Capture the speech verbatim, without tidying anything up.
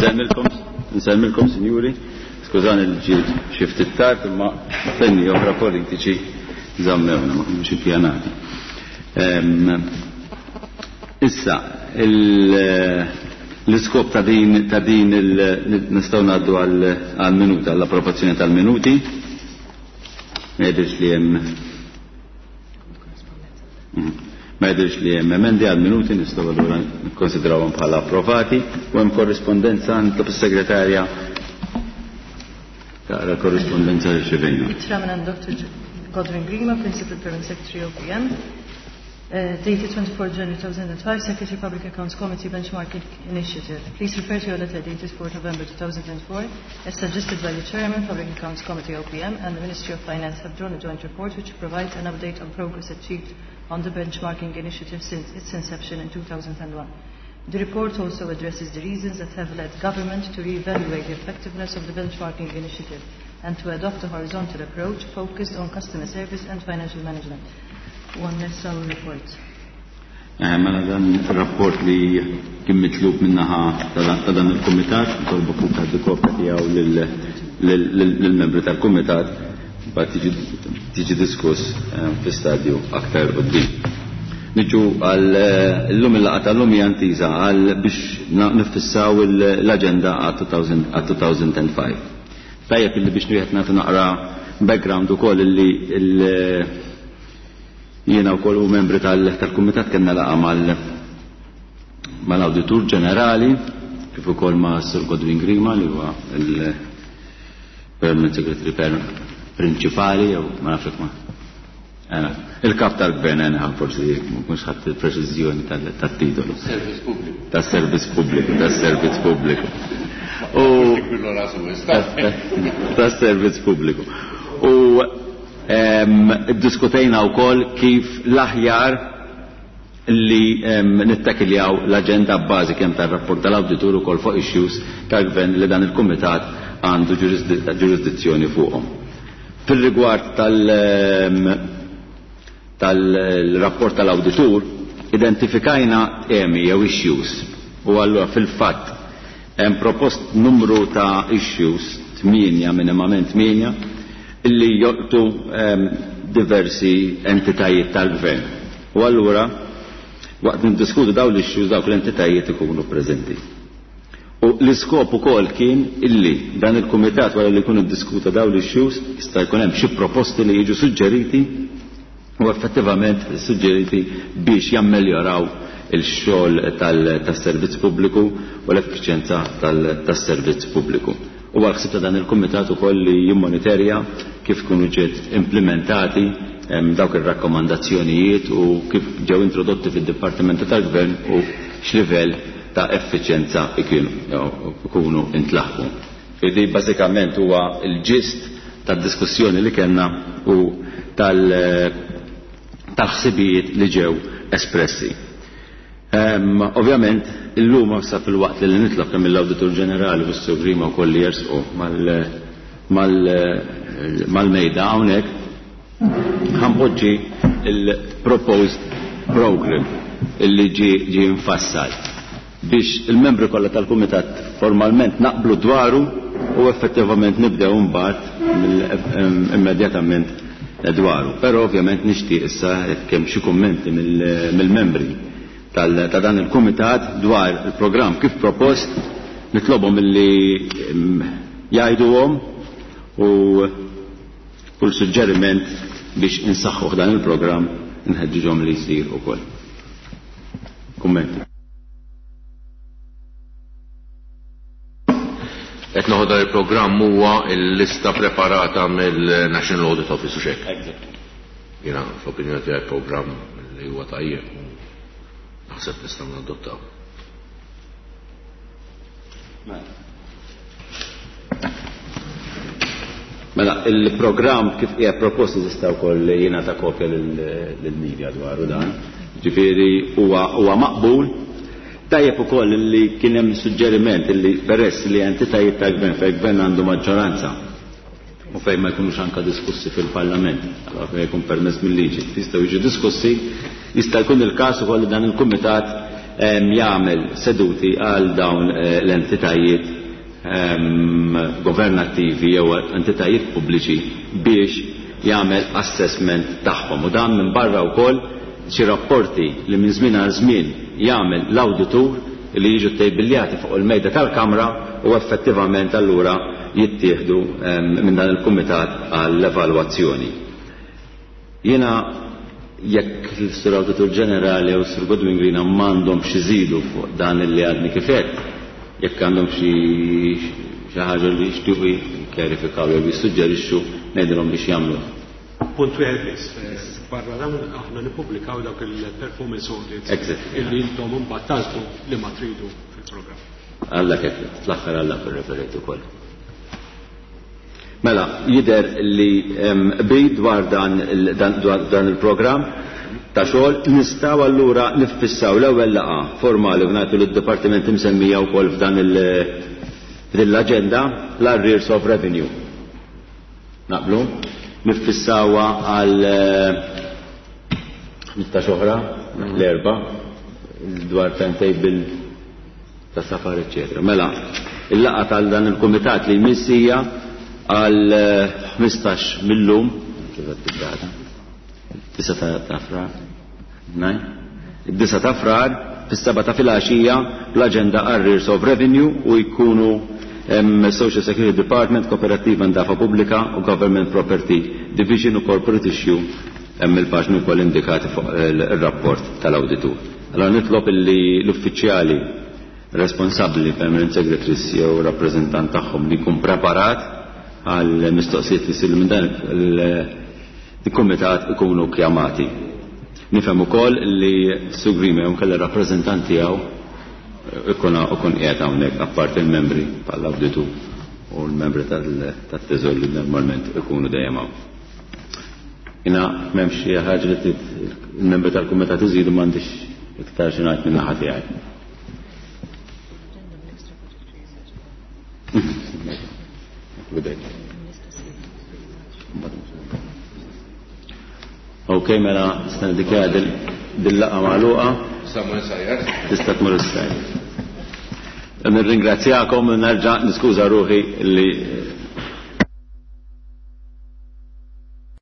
Nsellmilkom, nsellmilkom sinjuri, skużani li ġiet xi ftit tard imma tenni oħra politiċi żammewna ma kinux ippjanati. Issa, l-iskop ta' din ta' din nistgħu ngħaddu għal minuta għall-approvazzjoni tal-minuti. Ma jidhirx li hemm Ma jidhirx li hemm emendi għal minuti, nistgħu allura nikkonsidrawhom bħala approvati. U hemm korrispondenza, nitlob is-segretarja taqra korrispondenza li rċevejna. Ittra minn Doctor Godwin Grima, Principal Permanent Secretary O P M, uh, dated twenty-fourth January two thousand and five, Secretary Public Accounts Committee Benchmarking Initiative. Please refer to your letter dated fourth November two thousand and four, as suggested by the Chairman, Public Accounts Committee O P M, and the Ministry of Finance have drawn a joint report which provides an update on progress achieved on the benchmarking initiative since its inception in two thousand and one. The report also addresses the reasons that have led government to re-evaluate the effectiveness of the benchmarking initiative and to adopt a horizontal approach focused on customer service and financial management. One less our report. Eh, mela dan il-rapport li kien mitlub minnaħa ta' dan il-kumitat, nitolbu kien tagħti kopja tiegħu lill-membri tal-kumitat, mbagħad tiġi diskuss, eh, fi stadju aktar quddiem. Niġu għal, eh, illum il-laqgħa tal-lum hija ntiża għal biex nifissaw l-aġenda għal two thousand and five. Tajjeb illi biex wieħed nagħti naqra background ukoll illi il-, jiena wkoll u membri tal-, tal-kumitat kellna laqgħa mal-, mal-Awditur Ġenerali kif ukoll ma' Sir Godwin Grima li huwa il-Permanent Secretary Prinċipali jew ma nafx ma. Eh, il-kap tal-gvern eh, forsi mhux ħadd il-preċiżjoni tal-, tat-titolu. Servizz pubbliku. Tas-servizz pubbliku, tas-servizz pubbliku. U tas-servizz pubbliku. U iddiskutejna wkoll kif l-aħjar li, em, nittakiljaw l-aġenda bbażi kemm tar-rapport tal-awditur ukoll fuq issues tal-gvern li dan il-kumitat għandu ġurisdi-, ġurisdizzjoni fuqhom. Fil-rigward tal-, em, tal-rapport tal-awditur, identifikajna temi jew issues u allura fil-fatt hemm propost numru ta' issues, tmienja, minimament tmienja, illi jolqtu, ehm, diversi entitajiet tal-gvern. U allura waqt niddiskutu dawn l-issues dawk l-entitajiet ikunu preżenti. U l-iskop ukoll kien illi dan il-kumitat wara li jkun iddiskuta dawn l-issues jista' jkun hemm xi proposti li jiġu suġġeriti u effettivament suġġeriti biex jammeljoraw il-xogħol tal-, tas-servizz pubbliku u l-effiċjenza tal-, tas-servizz pubbliku. U għal-ħsieb ta' dan il-kumitat ukoll li jimmonitorja kif kunu ġiet implementati, em, dawk ir-rakkomandazzjonijiet u kif ġew introdotti fid-Dipartimenti tal-Gvern u x'livell ta' effiċjenza ikunu intlaħqu. Fidi bażikament huwa l-ġist tad-diskussjoni li kellna u tal-, tal-ħsibijiet li ġew espressi. Ehm, ovvjament, illum sa fil-waqt li nitlob kemm mill-Awditur Ġenerali u s-Sur Grima wkoll li jersqu mal-, mal-, mal-mejda hawnhekk, ħanpoġġi il-proposed program illi ġie, ġie mfassal biex il-membri kollha tal-kumitat formalment naqblu dwaru u effettivament nibdew imbagħad mill-, ehm, immedjatament dwaru. Però ovvjament nixtieq issa jekk hemm xi kummenti mill-, mill-membri tal-, ta' dan il-kumitat dwar il-programm kif propost, nitlobhom illi, ehm, jgħiduhom u kull suġġeriment biex insaħħuh dan il-programm nħeġġiġhom li jsir ukoll. Kummenti. Qed noħodha dan il-programm huwa l-lista preparata mill-National Audit Office u xejn. Exactly. Jiena fl-opinjoni tiegħi programm li huwa tajjeb u naħseb nistgħu nadottaw. Mela, il-programm kif hija proposti tista' wkoll jingħata kopja lil-media dwaru dan. Ġifieri huwa, huwa maqbul. Tajjeb ukoll li kien hemm suġġeriment li peress li entitajiet ta' gvern fejn gvern għandu maġġoranza u fejn ma jkunux anka diskussi fil-Parlament, allora fejn jkun permess mill-liġi, jistgħu jiġu diskussi, jista' jkun il-każ ukoll li dan il-kumitat, jagħmel seduti għal dawn l-entitajiet governattivi jew entitajiet pubbliċi biex jagħmel assessment tagħhom. U dan minn barra wkoll xi rapporti li minn żmien għal żmien jagħmel l-awditur li jiġu tejbiljati fuq il-mejda tal-Kamra u effettivament allura jittieħdu minn dan il-kumitat għall-evalwazzjoni. Jiena jekk l-Sur Awditur Ġenerali u s-Sur Godwin Grina m'għandhom xi żidu fuq dan li għadni kif għedt, jekk għandhom xi xi ħaġa li jixtiequ jikkjarifikaw jew jissuġġerixxu, ngħidilhom biex jagħmlu. Punt wieħed biss, barra dawn aħna nippubblikaw dawk il-performance audits Exactly. illi intom imbagħad tagħżlu li ma tridu fil-programm. Alla kif fl-aħħar alla referejt ukoll. Mela, jidher li qbil dwar dan il-, dan, dwar dan il-programm ta' xogħol, nistgħu allura niffissaw l-ewwel laqgħa formali u ngħidu lid-dipartiment imsemmija wkoll f'dan il-, f'din l-aġenda l-arrears of revenue. Naqblu? Niffissawha għal ħmistax oħra, l-erba, dwar timetable ta' safar, eccetera. Mela, il-laqgħa tal dan il-kumitat li jmissija għal ħmistax millum, kif qed tibda? Disa ta' frar, naj? Id-disa ta' frar, fis-seba ta' filgħaxija, l-aġenda arrears of revenue u jkunu em, Social Security Department, Kooperativa Ndafa Pubblika u Government Property Division u Corporate Issue, hemm il-paġni wkoll indikati fuq il-rapport tal-awditur. Allora nitlob illi l-uffiċjali responsabbli, permanent secretaries jew rappreżentant tagħhom li jkun preparat għal mistoqsijiet li jsiru minn dan il-kumitat ikunu kjamati. Nifhem ukoll li Sur Grima jew kellha rappreżentant tiegħu ikun ikun qiegħed hawnhekk apparti il-membri tal-awditur u l-membri tat-teżor li normalment ikunu dejjem hawn. Jiena m'hemmx xi ħaġa li trid il-membri tal-kumitat iżidu, m'għandix iktar xi ngħid minn naħa tiegħi. Ok, mela nista' niddikjara dil-laqgħa magħluqa. Tista' tmur is-sajr. Nirringrazzjakom u nerġa' niskuża ruħi li